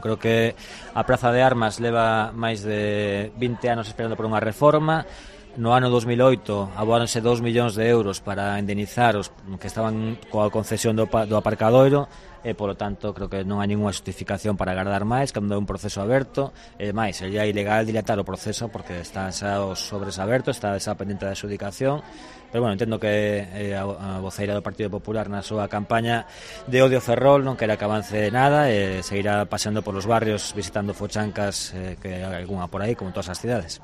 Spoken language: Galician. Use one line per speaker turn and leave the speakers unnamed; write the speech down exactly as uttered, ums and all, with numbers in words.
Creo que a Praza de Armas leva máis de vinte anos esperando por unha reforma. No ano dos mil oito aboáronse dous millóns de euros para indemnizar os que estaban coa concesión do, do aparcadoiro e, polo tanto, creo que non hai ninguna justificación para agardar máis, cando é un proceso aberto. E máis, sería ilegal dilatar o proceso porque están xa os sobres abertos, está xa pendente da adxudicación. Pero, bueno, entendo que eh, a voceira do Partido Popular na súa campaña de odio Ferrol non quera que avance nada e seguirá paseando polos barrios visitando fochancas, eh, que hai algunha por aí, como todas as cidades.